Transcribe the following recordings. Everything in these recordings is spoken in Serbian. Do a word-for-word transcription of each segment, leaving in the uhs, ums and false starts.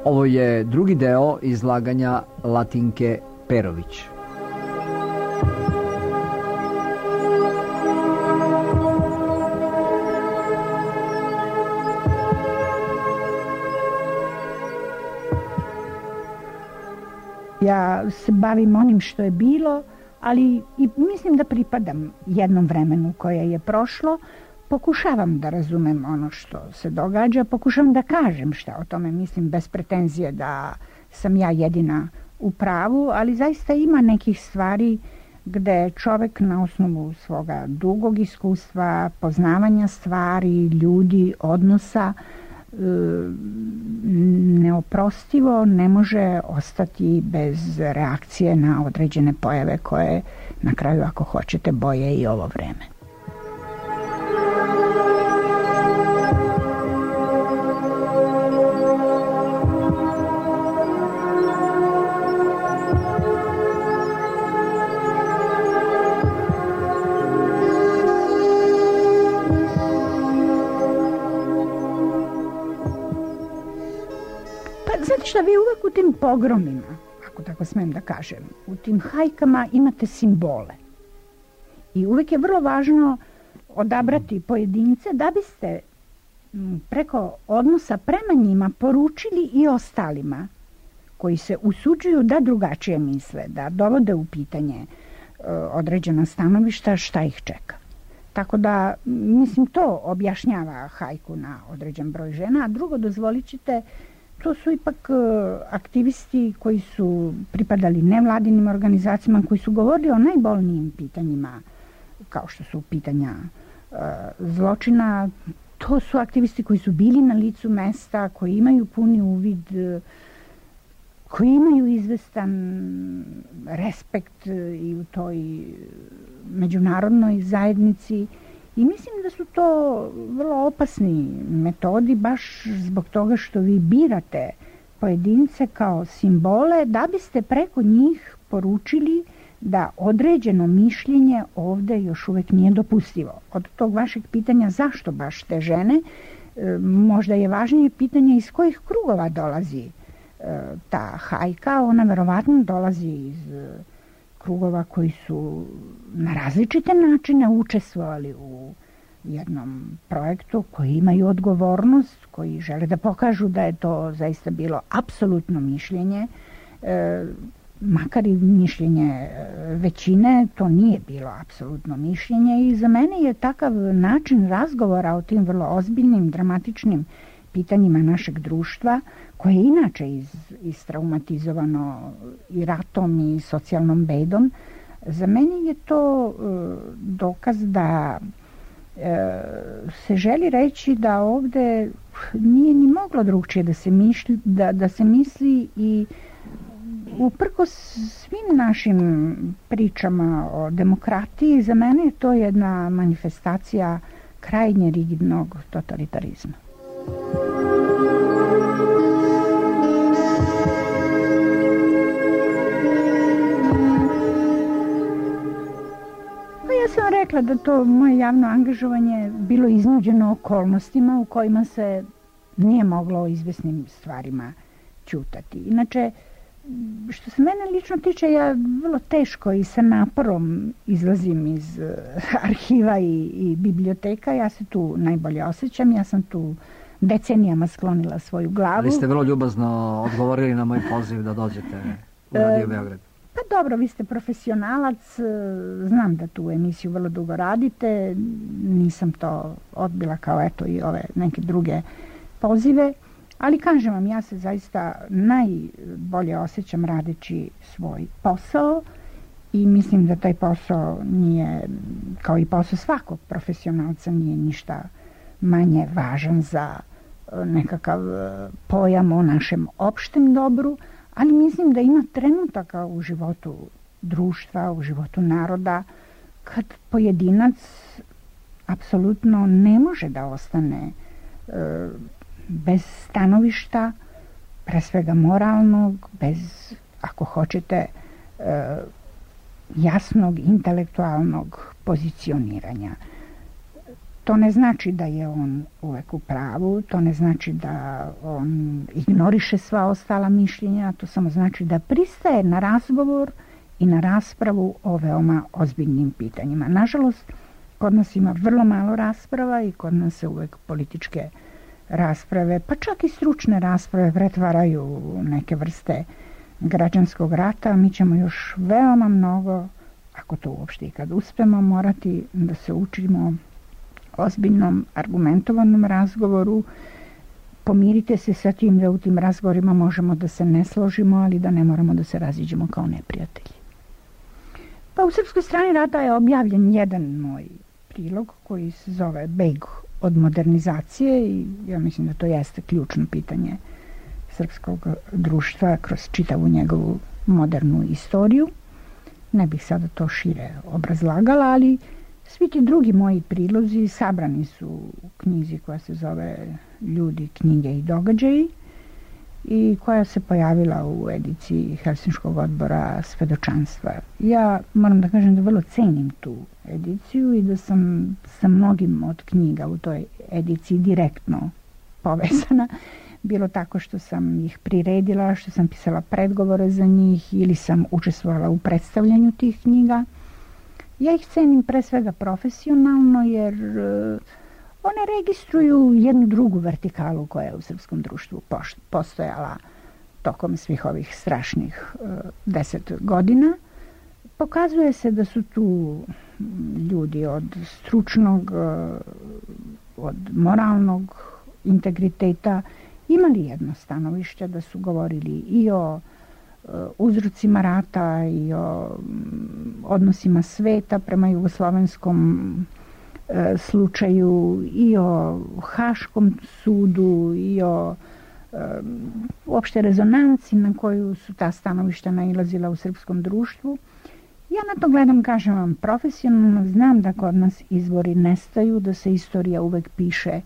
Ovo je drugi deo izlaganja Latinke Perović. Ja se bavim onim što je bilo, ali i mislim da pripadam jednom vremenu koje je prošlo. Pokušavam da razumem ono što se događa, pokušavam da kažem šta o tome mislim, bez pretenzije da sam ja jedina u pravu, ali zaista ima nekih stvari gde čovek na osnovu svoga dugog iskustva, poznavanja stvari, ljudi, odnosa, neoprostivo ne može ostati bez reakcije na određene pojave koje na kraju, ako hoćete, boje i ovo vreme. Šta vi uvek u tim pogromima, ako tako smem da kažem, u tim hajkama imate simbole. I uvek je vrlo važno odabrati pojedince da biste preko odnosa prema njima poručili i ostalima koji se usuđuju da drugačije misle, da dovode u pitanje određena stanovišta, šta ih čeka. Tako da, mislim, to objašnjava hajku na određen broj žena. A drugo, dozvolit ćete, to su ipak aktivisti koji su pripadali nevladinim organizacijama, koji su govorili o najbolnijim pitanjima, kao što su pitanja uh, zločina. To su aktivisti koji su bili na licu mesta, koji imaju puni uvid, koji imaju izvestan respekt i u toj međunarodnoj zajednici. I mislim da su to vrlo opasni metodi, baš zbog toga što vi birate pojedince kao simbole da biste preko njih poručili da određeno mišljenje ovde još uvek nije dopustivo. Od tog vašeg pitanja zašto baš te žene, možda je važnije pitanje iz kojih krugova dolazi ta hajka. Ona verovatno dolazi iz krugova koji su na različite načine učestvovali u jednom projektu, koji imaju odgovornost, koji žele da pokažu da je to zaista bilo apsolutno mišljenje, e, makar i mišljenje većine, to nije bilo apsolutno mišljenje i za mene je takav način razgovora o tim vrlo ozbiljnim, dramatičnim pitanjima našeg društva, koje je inače iz, istraumatizovano i ratom i socijalnom bedom, za mene je to e, dokaz da e, se želi reći da ovde nije ni moglo drugčije da se, mišli, da, da se misli i uprkos svim našim pričama o demokratiji, za mene je to jedna manifestacija krajnje rigidnog totalitarizma. Ja sam rekla da to moje javno angažovanje bilo iznuđeno okolnostima u kojima se nije moglo o izvesnim stvarima ćutati. Inače, što se mene lično tiče, ja vrlo teško i sa naporom izlazim iz arhiva i, i biblioteka. Ja se tu najbolje osjećam. Ja sam tu decenijama sklonila svoju glavu. Ali ste vrlo ljubazno odgovorili na moj poziv da dođete u Radio Beograd. Pa dobro, vi ste profesionalac, znam da tu emisiju vrlo dugo radite, nisam to odbila kao eto i ove neke druge pozive, ali kažem vam, ja se zaista najbolje osjećam radeći svoj posao i mislim da taj posao nije, kao i posao svakog profesionalca, nije ništa manje važan za nekakav pojam o našem opštem dobru, ali mislim da ima trenutaka u životu društva, u životu naroda, kad pojedinac apsolutno ne može da ostane e, bez stanovišta, pre svega moralnog, bez, ako hoćete, e, jasnog intelektualnog pozicioniranja. To ne znači da je on uvek u pravu, to ne znači da on ignoriše sva ostala mišljenja, to samo znači da pristaje na razgovor i na raspravu o veoma ozbiljnim pitanjima. Nažalost, kod nas ima vrlo malo rasprava i kod nas se uvek političke rasprave, pa čak i stručne rasprave pretvaraju u neke vrste građanskog rata. Mi ćemo još veoma mnogo, ako to uopšte i kad uspemo, morati da se učimo ozbiljnom, argumentovanom razgovoru. Pomirite se sa tim da u tim razgovorima možemo da se ne složimo, ali da ne moramo da se raziđemo kao neprijatelji. Pa u Srpskoj strani rata je objavljen jedan moj prilog koji se zove Beg od modernizacije i ja mislim da to jeste ključno pitanje srpskog društva kroz čitavu njegovu modernu istoriju. Ne bih sada to šire obrazlagala, ali svi ti drugi moji prilozi sabrani su u knjizi koja se zove Ljudi, knjige i događaji i koja se pojavila u ediciji Helsinškog odbora svedočanstva. Ja moram da kažem da vrlo cenim tu ediciju i da sam sa mnogim od knjiga u toj ediciji direktno povezana. Bilo tako što sam ih priredila, što sam pisala predgovore za njih ili sam učestvovala u predstavljanju tih knjiga. Ja ih cenim pre svega profesionalno jer one registruju jednu drugu vertikalu koja je u srpskom društvu postojala tokom svih ovih strašnih deset godina. Pokazuje se da su tu ljudi od stručnog, od moralnog integriteta imali jedno stanovište, da su govorili i o uzrocima rata i o odnosima sveta prema jugoslovenskom slučaju i o Haškom sudu i o uopšte rezonanci na koju su ta stanovišta nailazila u srpskom društvu. Ja na to gledam, kažem vam, profesionalno. Znam da kod nas izvori nestaju, da se istorija uvek piše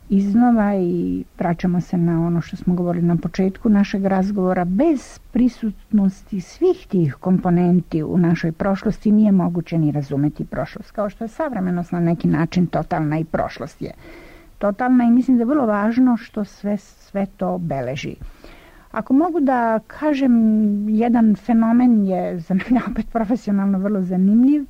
iznova i vraćamo se na ono što smo govorili na početku našeg razgovora. Bez prisutnosti svih tih komponenti u našoj prošlosti nije moguće ni razumeti prošlost. Kao što je savremenost na neki način totalna i prošlost je totalna i mislim da je vrlo važno što sve, sve to beleži. Ako mogu da kažem, jedan fenomen je za mene opet profesionalno vrlo zanimljiv.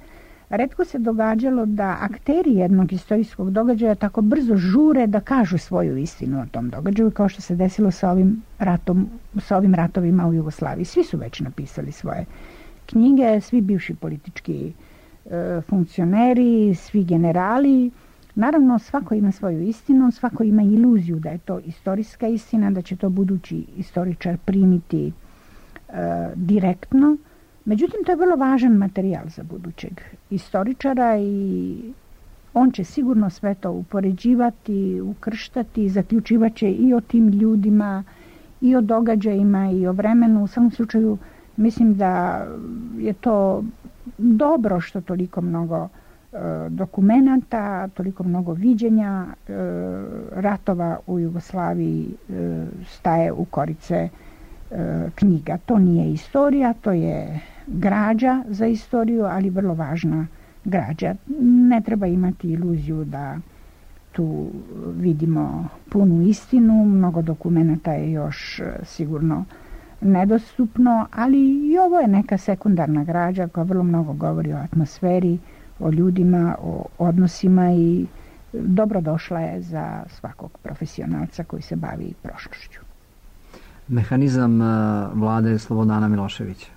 Retko se događalo da akteri jednog istorijskog događaja tako brzo žure da kažu svoju istinu o tom događaju, kao što se desilo sa ovim ratom, sa ovim ratovima u Jugoslaviji. Svi su već napisali svoje knjige, svi bivši politički e, funkcioneri, svi generali. Naravno, svako ima svoju istinu, svako ima iluziju da je to istorijska istina, da će to budući istoričar primiti e, direktno. Međutim, to je vrlo važan materijal za budućeg istoričara i on će sigurno sve to upoređivati, ukrštati, zaključivat će i o tim ljudima, i o događajima, i o vremenu. U svakom slučaju, mislim da je to dobro što toliko mnogo e, dokumenata, toliko mnogo viđenja e, ratova u Jugoslaviji e, staje u korice e, knjiga. To nije istorija, to je građa za istoriju, ali vrlo važna građa. Ne treba imati iluziju da tu vidimo punu istinu, mnogo dokumenta je još sigurno nedostupno, ali i ovo je neka sekundarna građa koja vrlo mnogo govori o atmosferi, o ljudima, o odnosima i dobrodošla je za svakog profesionalca koji se bavi prošlošću. Mehanizam vlade Slobodana Miloševića?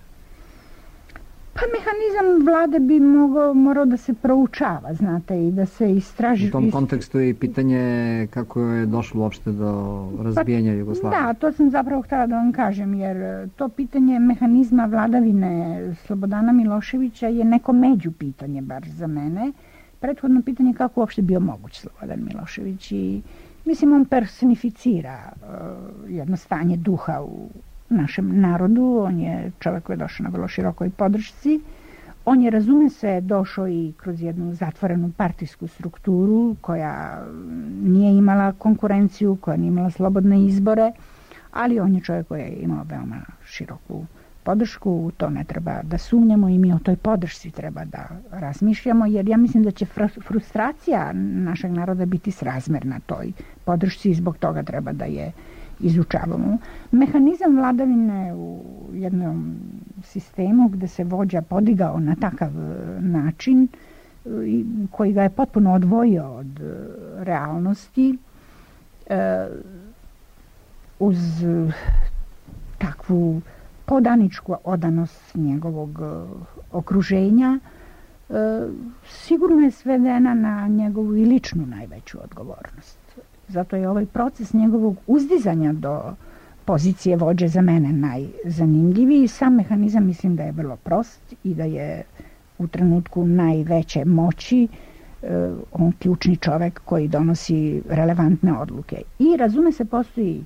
Pa mehanizam vlade bi mogao, morao da se proučava, znate, i da se istraži. U tom kontekstu je i pitanje kako je došlo uopšte do razbijanja pa, Jugoslavije. Da, to sam zapravo htjela da vam kažem, jer to pitanje mehanizma vladavine Slobodana Miloševića je neko među pitanje, bar za mene. Prethodno pitanje kako uopšte bio moguć Slobodan Milošević i mislim on personificira uh, jedno stanje duha u našem narodu. On je čovjek koji je došao na vrlo širokoj podršci. On je, razume se, došao i kroz jednu zatvorenu partijsku strukturu koja nije imala konkurenciju, koja nije imala slobodne izbore, ali on je čovjek koji je imao veoma široku podršku, to ne treba da sumnjamo i mi o toj podršci treba da razmišljamo, jer ja mislim da će frustracija našeg naroda biti srazmerna toj podršci i zbog toga treba da je izučavamo. Mehanizam vladavine u jednom sistemu gde se vođa podigao na takav način koji ga je potpuno odvojio od realnosti, uz takvu podaničku odanost njegovog okruženja, sigurno je svedena na njegovu i ličnu najveću odgovornost. Zato je ovaj proces njegovog uzdizanja do pozicije vođe za mene najzanimljiviji. Sam mehanizam mislim da je vrlo prost i da je u trenutku najveće moći on ključni čovek koji donosi relevantne odluke. I razume se, postoji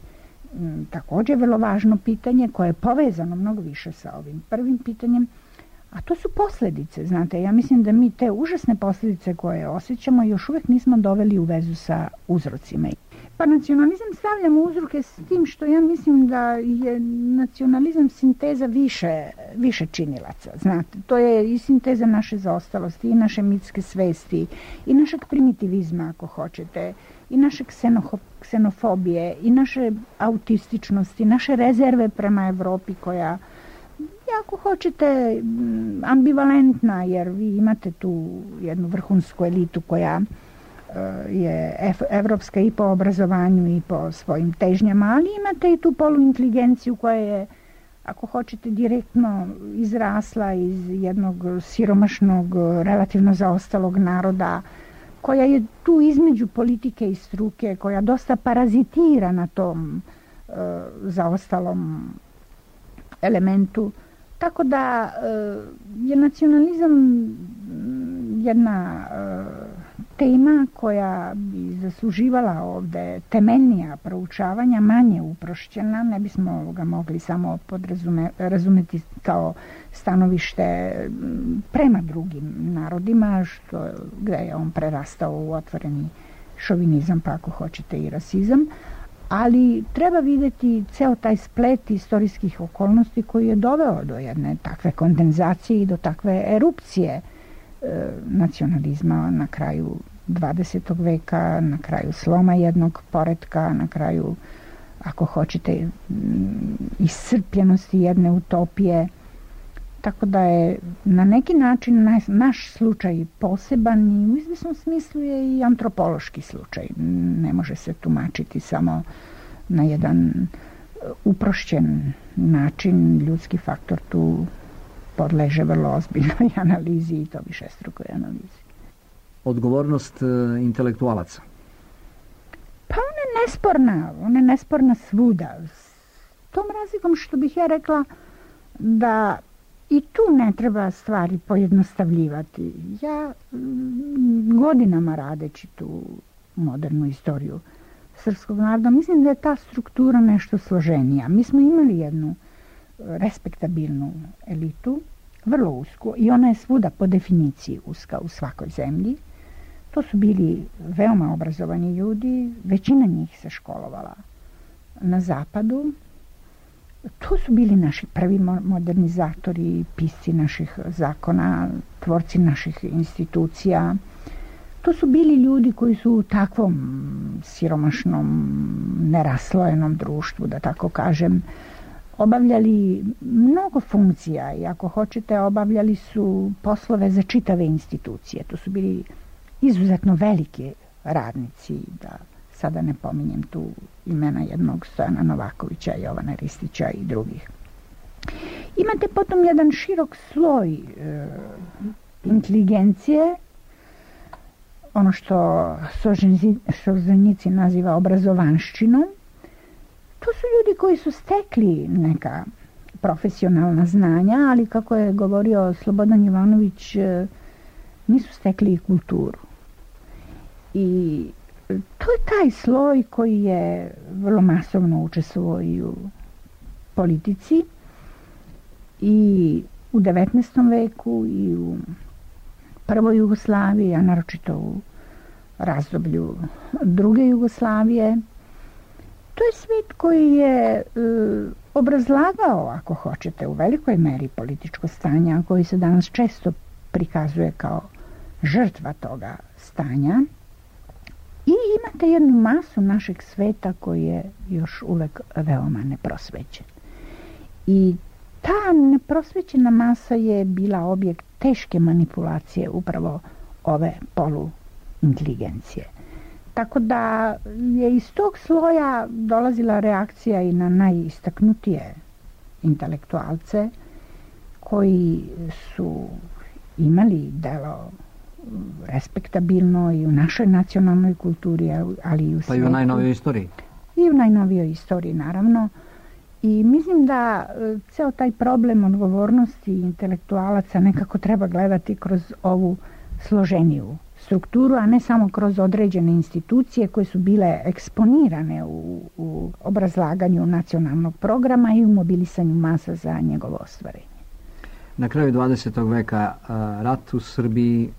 m, također vrlo važno pitanje koje je povezano mnogo više sa ovim prvim pitanjem, a to su posljedice. Znate, ja mislim da mi te užasne posljedice koje osjećamo još uvijek nismo doveli u vezu sa uzrocima. Pa nacionalizam stavljamo uzroke s tim što ja mislim da je nacionalizam sinteza više, više činilaca. Znate, to je i sinteza naše zaostalosti, i naše mitske svesti, i našeg primitivizma, ako hoćete, i naše ksenofobije, i naše autističnosti, naše rezerve prema Evropi koja, ako hoćete, ambivalentna, jer vi imate tu jednu vrhunsku elitu koja je evropska i po obrazovanju i po svojim težnjama, ali imate i tu poluinteligenciju koja je, ako hoćete, direktno izrasla iz jednog siromašnog, relativno zaostalog naroda, koja je tu između politike i struke, koja dosta parazitira na tom uh, zaostalom elementu. Tako da uh, je nacionalizam jedna uh, tema koja bi zasluživala ovde temeljnija proučavanja, manje uprošćena, ne bismo ga mogli samo podrazume, razumeti kao stanovište prema drugim narodima, što, gde je on prerastao u otvoreni šovinizam, pa ako hoćete i rasizam, ali treba videti ceo taj splet istorijskih okolnosti koji je doveo do jedne takve kondenzacije i do takve erupcije nacionalizma na kraju dvadesetog veka, na kraju sloma jednog poretka, na kraju, ako hoćete, iscrpljenosti jedne utopije. Tako da je na neki način naš, naš slučaj poseban i u izvesnom smislu je i antropološki slučaj. Ne može se tumačiti samo na jedan uprošćen način. Ljudski faktor tu podleže vrlo ozbiljnoj analizi i to višestrukoj analizi. Odgovornost intelektualaca? Pa ona je nesporna, ona je nesporna svuda. S tom razlikom što bih ja rekla da i tu ne treba stvari pojednostavljivati. Ja godinama radeći tu modernu istoriju srpskog naroda, mislim da je ta struktura nešto složenija. Mi smo imali jednu respektabilnu elitu, vrlo usku, i ona je svuda po definiciji uska u svakoj zemlji. To su bili veoma obrazovani ljudi, većina njih se školovala na zapadu. To su bili naši prvi modernizatori, pisci naših zakona, tvorci naših institucija. To su bili ljudi koji su u takvom siromašnom, neraslojenom društvu, da tako kažem, obavljali mnogo funkcija i ako hoćete obavljali su poslove za čitave institucije. To su bili izuzetno veliki radnici, da sada ne pominjem tu imena jednog Stojana Novakovića, Jovana Ristića i drugih. Imate potom jedan širok sloj e, inteligencije, ono što Solženjicin naziva obrazovanščinom. To su ljudi koji su stekli neka profesionalna znanja, ali kako je govorio Slobodan Jovanović, nisu stekli i kulturu. I to je taj sloj koji je vrlo masovno učestvovao i u politici i u devetnaestom veku i u prvoj Jugoslaviji, a naročito u razdoblju druge Jugoslavije. To je svijet koji je e, obrazlagao, ako hoćete, u velikoj meri političko stanje, a koji se danas često prikazuje kao žrtva toga stanja. I imate jednu masu našeg sveta koji je još uvek veoma neprosvećen. I ta neprosvećena masa je bila objekt teške manipulacije upravo ove poluinteligencije. Tako da je iz tog sloja dolazila reakcija i na najistaknutije intelektualce koji su imali delo respektabilno i u našoj nacionalnoj kulturi, ali i u svijetu. Pa i u najnovijoj istoriji. I u najnovijoj istoriji, naravno. I mislim da ceo taj problem odgovornosti intelektualaca nekako treba gledati kroz ovu složeniju strukturu, a ne samo kroz određene institucije koje su bile eksponirane u, u obrazlaganju nacionalnog programa i u mobilisanju masa za njegovo ostvarenje. Na kraju dvadesetog veka rat u Srbiji,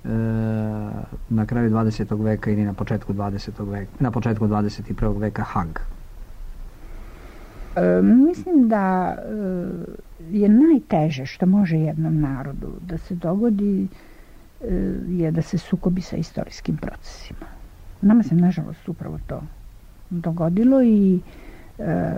na kraju dvadesetog veka ili na početku dvadesetog veka, na početku dvadeset prvog veka Hag. E, mislim da je najteže što može jednom narodu da se dogodi je da se sukobi sa istorijskim procesima. Nama se nažalost upravo to dogodilo i e,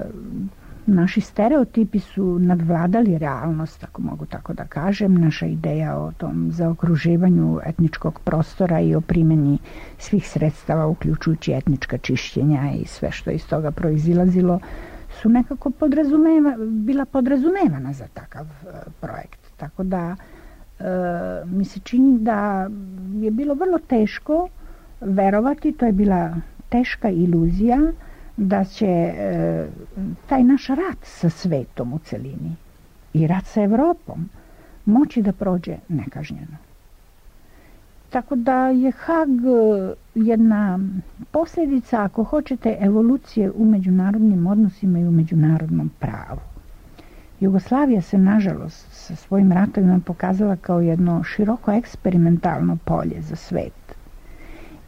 naši stereotipi su nadvladali realnost, ako mogu tako da kažem. Naša ideja o tom zaokruživanju etničkog prostora i o primjeni svih sredstava, uključujući etnička čišćenja i sve što iz toga proizilazilo, su nekako podrazumeva, bila podrazumevana za takav uh, projekt. Tako da uh, mi se čini da je bilo vrlo teško verovati, to je bila teška iluzija, da će e, taj naš rat sa svetom u celini i rat sa Evropom moći da prođe nekažnjeno. Tako da je Hag jedna posljedica, ako hoćete, evolucije u međunarodnim odnosima i u međunarodnom pravu. Jugoslavija se, nažalost, sa svojim ratovima pokazala kao jedno široko eksperimentalno polje za svet.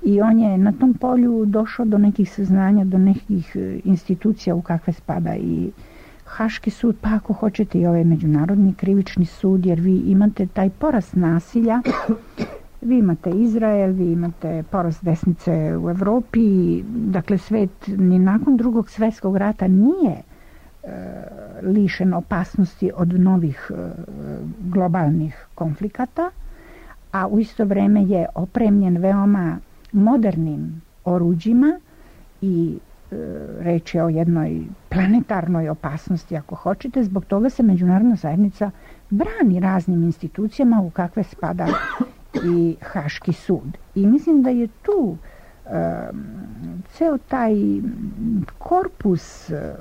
I on je na tom polju došao do nekih saznanja, do nekih institucija u kakve spada i Haški sud, pa ako hoćete i ovaj međunarodni krivični sud, jer vi imate taj porast nasilja, vi imate Izrael, vi imate porast desnice u Evropi, dakle svet ni nakon drugog svjetskog rata nije e, lišen opasnosti od novih e, globalnih konflikata, a u isto vreme je opremljen veoma modernim oruđima i e, reč je o jednoj planetarnoj opasnosti, ako hoćete. Zbog toga se međunarodna zajednica brani raznim institucijama u kakve spada i Haški sud. I mislim da je tu e, ceo taj korpus e,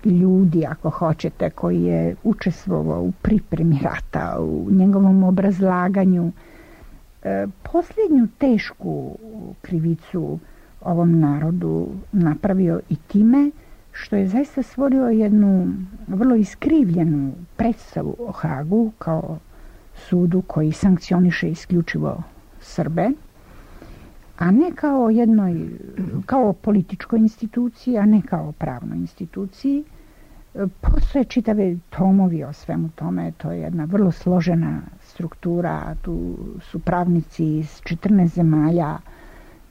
ljudi, ako hoćete, koji je učestvovao u pripremi rata, u njegovom obrazlaganju, posljednju tešku krivicu ovom narodu napravio i time što je zaista stvorio jednu vrlo iskrivljenu predstavu o Hagu kao sudu koji sankcioniše isključivo Srbe, a ne kao jednoj, kao političkoj instituciji, a ne kao pravnoj instituciji. Postoje čitave tomovi o svemu tome, to je jedna vrlo složena struktura, tu su pravnici iz četrnaest zemalja.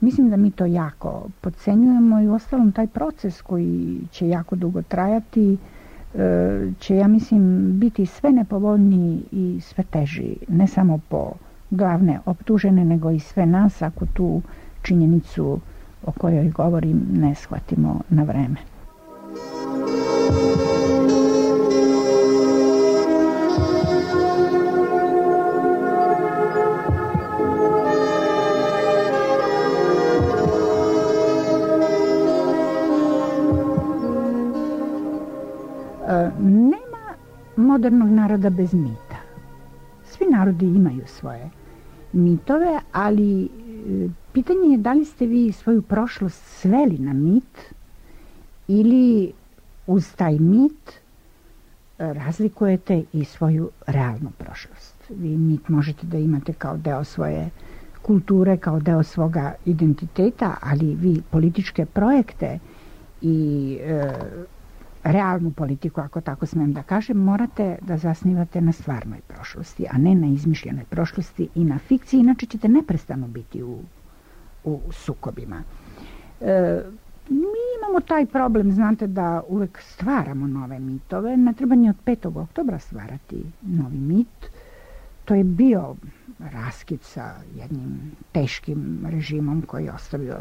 Mislim da mi to jako podcenjujemo i uostalom taj proces koji će jako dugo trajati će, ja mislim, biti sve nepovoljniji i sve teži, ne samo po glavne optužene, nego i sve nas ako tu činjenicu o kojoj govorim ne shvatimo na vreme. Nema modernog naroda bez mita. Svi narodi imaju svoje mitove, ali pitanje je da li ste vi svoju prošlost sveli na mit ili uz taj mit razlikujete i svoju realnu prošlost. Vi mit možete da imate kao deo svoje kulture, kao deo svoga identiteta, ali vi političke projekte i e, realnu politiku, ako tako smem da kažem, morate da zasnivate na stvarnoj prošlosti, a ne na izmišljenoj prošlosti i na fikciji, inače ćete neprestano biti u, u sukobima. E, mi imamo taj problem, znate, da uvek stvaramo nove mitove, ne treba ni od petog oktobra stvarati novi mit. To je bio raskid sa jednim teškim režimom koji je ostavio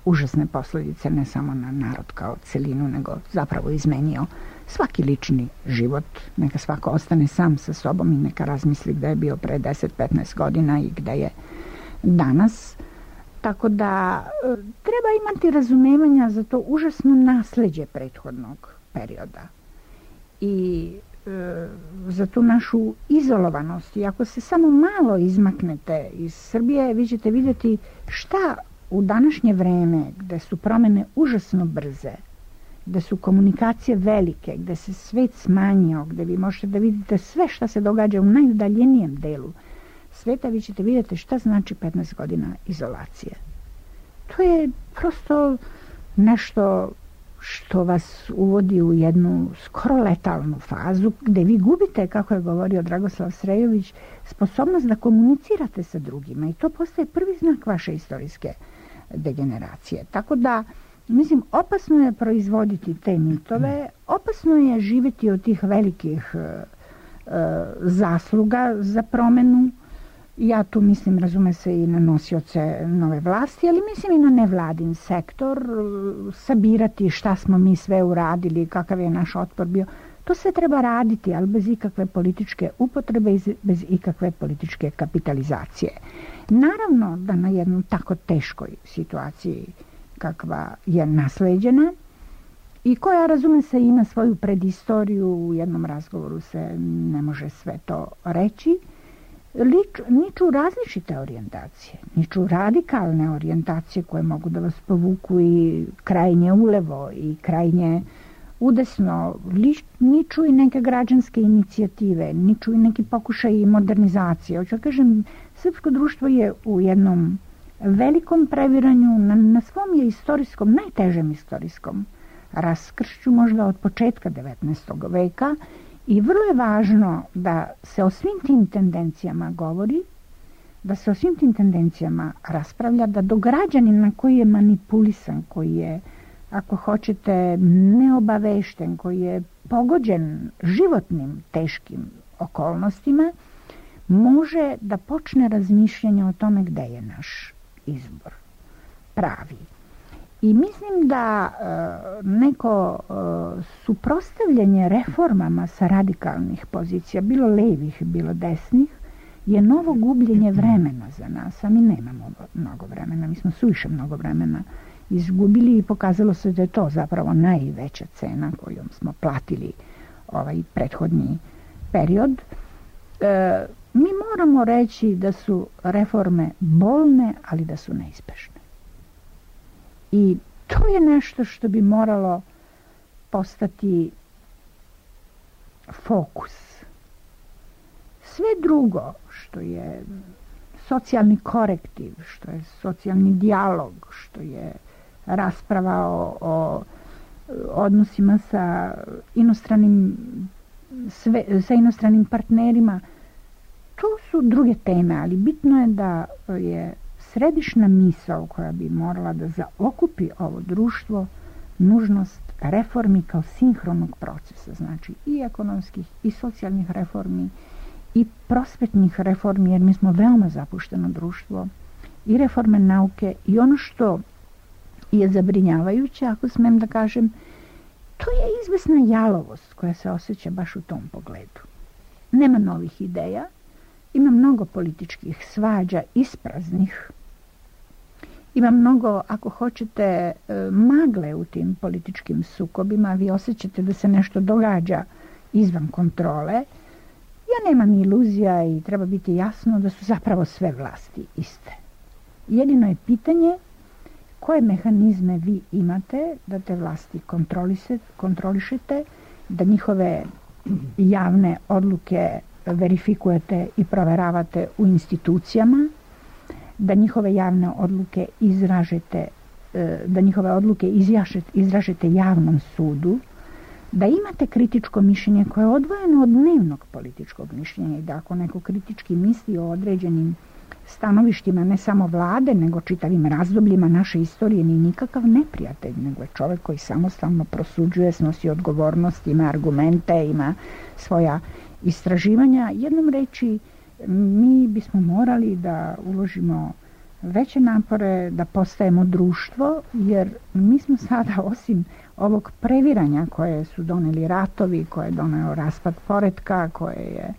užasne posljedice ne samo na narod kao celinu, nego zapravo izmenio svaki lični život. Neka svako ostane sam sa sobom i neka razmisli gde je bio pre deset do petnaest godina i gde je danas. Tako da treba imati razumevanja za to užasno nasleđe prethodnog perioda i e, za tu našu izolovanost. I ako se samo malo izmaknete iz Srbije, vi ćete vidjeti šta u današnje vreme, gde su promene užasno brze, gde su komunikacije velike, gde se svet smanjio, gde vi možete da vidite sve šta se događa u najudaljenijem delu sveta, vi ćete vidjeti šta znači petnaest godina izolacije. To je prosto nešto što vas uvodi u jednu skoro letalnu fazu, gde vi gubite, kako je govorio Dragoslav Srejović, sposobnost da komunicirate sa drugima i to postaje prvi znak vaše istorijske degeneracije. Tako da, mislim, opasno je proizvoditi te mitove, opasno je živjeti od tih velikih e, zasluga za promenu. Ja tu mislim, razume se, i na nosioce nove vlasti, ali mislim i na nevladin sektor, sabirati šta smo mi sve uradili, kakav je naš otpor bio. To sve treba raditi, ali bez ikakve političke upotrebe i bez ikakve političke kapitalizacije. Naravno da na jednom tako teškoj situaciji kakva je nasleđena i koja, razume se, ima svoju predistoriju, u jednom razgovoru se ne može sve to reći, Lič, niču različite orijentacije, niču radikalne orijentacije koje mogu da vas povuku i krajnje ulevo i krajnje udesno, Lič, niču i neke građanske inicijative, niču i neki pokušaj modernizacije. Hoću da kažem, srpsko društvo je u jednom velikom previranju, na, na svom je istorijskom, najtežem istorijskom raskršću, možda od početka devetnaestog veka, i vrlo je važno da se o svim tim tendencijama govori, da se o svim tim tendencijama raspravlja, da do građanina koji je manipulisan, koji je, ako hoćete, neobavešten, koji je pogođen životnim teškim okolnostima, može da počne razmišljanje o tome gde je naš izbor pravi. I mislim da e, neko e, suprotstavljanje reformama sa radikalnih pozicija, bilo levih, bilo desnih, je novo gubljenje vremena za nas, a mi nemamo mnogo vremena, mi smo suviše mnogo vremena izgubili i pokazalo se da je to zapravo najveća cena kojom smo platili ovaj prethodni period. E, mi moramo reći da su reforme bolne, ali da su neizbežne. I to je nešto što bi moralo postati fokus. Sve drugo što je socijalni korektiv, što je socijalni dijalog, što je rasprava o, o odnosima sa inostranim, sve, sa inostranim partnerima, to su druge teme, ali bitno je da je središna misao koja bi morala da zaokupi ovo društvo nužnost reformi kao sinhronog procesa, znači i ekonomskih i socijalnih reformi i prosvetnih reformi, jer mi smo veoma zapušteno društvo, i reforme nauke, i ono što je zabrinjavajuće, ako smem da kažem, to je izvesna jalovost koja se osjeća baš u tom pogledu. Nema novih ideja, ima mnogo političkih svađa ispraznih, ima mnogo, ako hoćete, magle u tim političkim sukobima, vi osjećate da se nešto događa izvan kontrole. Ja nemam iluzija i treba biti jasno da su zapravo sve vlasti iste. Jedino je pitanje koje mehanizme vi imate da te vlasti kontrolišete, da njihove javne odluke verifikujete i proveravate u institucijama, da njihove javne odluke izražete da njihove odluke izražete javnom sudu, da imate kritičko mišljenje koje je odvojeno od dnevnog političkog mišljenja i da ako neko kritički misli o određenim stanovištima ne samo vlade, nego čitavim razdobljima naše istorije, ni nikakav neprijatelj, nego je čovjek koji samostalno prosuđuje, snosi odgovornost, ima argumente, ima svoja istraživanja. Jednom reči, mi bismo morali da uložimo veće napore, da postajemo društvo, jer mi smo sada, osim ovog previranja koje su doneli ratovi, koje je doneo raspad poretka, koje je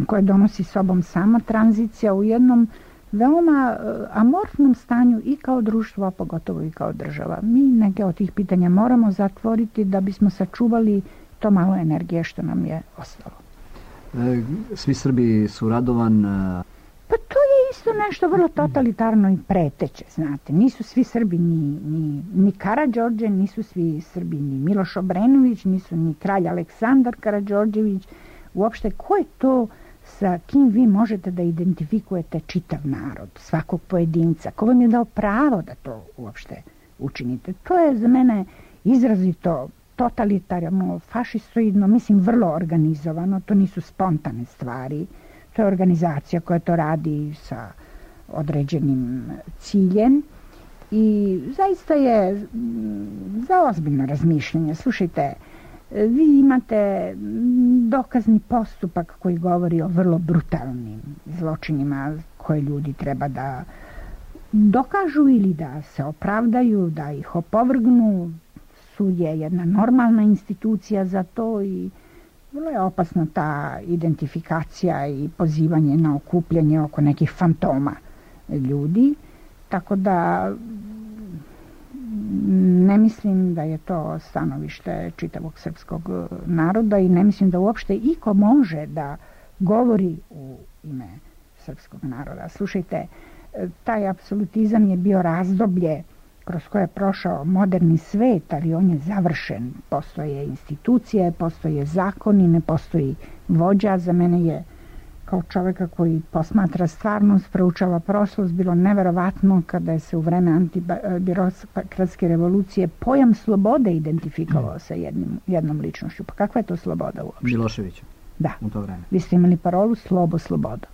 koje donosi sobom sama tranzicija, u jednom veoma amorfnom stanju i kao društvo, a pogotovo i kao država. Mi neke od tih pitanja moramo zatvoriti da bismo sačuvali to malo energije što nam je ostalo. Svi Srbi su radovan. Pa to je isto nešto vrlo totalitarno i preteće, znate. Nisu svi Srbi ni, ni, ni Karađorđe, nisu svi Srbi ni Miloš Obrenović, nisu ni kralj Aleksandar Karađorđević. Uopšte, ko je to sa kim vi možete da identifikujete čitav narod, svakog pojedinca? Ko vam je dao pravo da to uopšte učinite? To je za mene izrazito totalitarno, fašistoidno, mislim vrlo organizovano, to nisu spontane stvari, to je organizacija koja to radi sa određenim ciljem i zaista je za ozbiljno razmišljanje. Slušajte, vi imate dokazni postupak koji govori o vrlo brutalnim zločinima koje ljudi treba da dokažu ili da se opravdaju, da ih opovrgnu. Sud je jedna normalna institucija za to i vrlo je opasna ta identifikacija i pozivanje na okupljanje oko nekih fantoma ljudi. Tako da ne mislim da je to stanovište čitavog srpskog naroda i ne mislim da uopšte iko može da govori u ime srpskog naroda. Slušajte, taj apsolutizam je bio razdoblje kroz koje je prošao moderni svet, ali on je završen. Postoje institucije, postoje zakoni, ne postoji vođa. Za mene je kao čovjeka koji posmatra stvarnost, proučava prošlost, bilo neverovatno kada je se u vreme antibirokratske revolucije pojam slobode identifikovao sa jednim, jednom ličnošću. Pa kakva je to sloboda uopšte? Miloševića. Da. U to vreme. Vi ste imali parolu slobo, sloboda.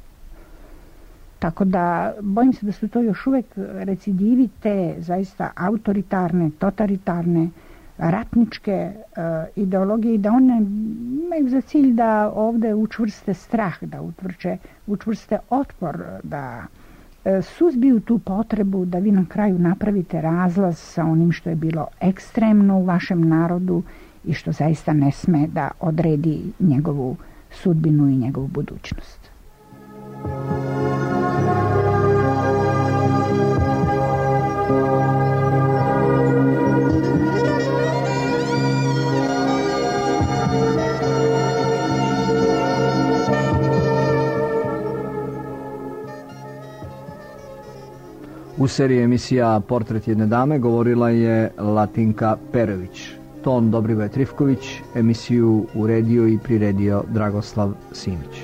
Tako da, bojim se da su to još uvek recidivi te zaista autoritarne, totalitarne, ratničke uh, ideologije i da one imaju za cilj da ovde učvrste strah, da utvrče, učvrste otpor, da uh, suzbiju tu potrebu da vi na kraju napravite razlaz sa onim što je bilo ekstremno u vašem narodu i što zaista ne sme da odredi njegovu sudbinu i njegovu budućnost. U seriji emisija Portret jedne dame govorila je Latinka Perović. Ton Dobrivoje Trifković, emisiju uredio i priredio Dragoslav Simić.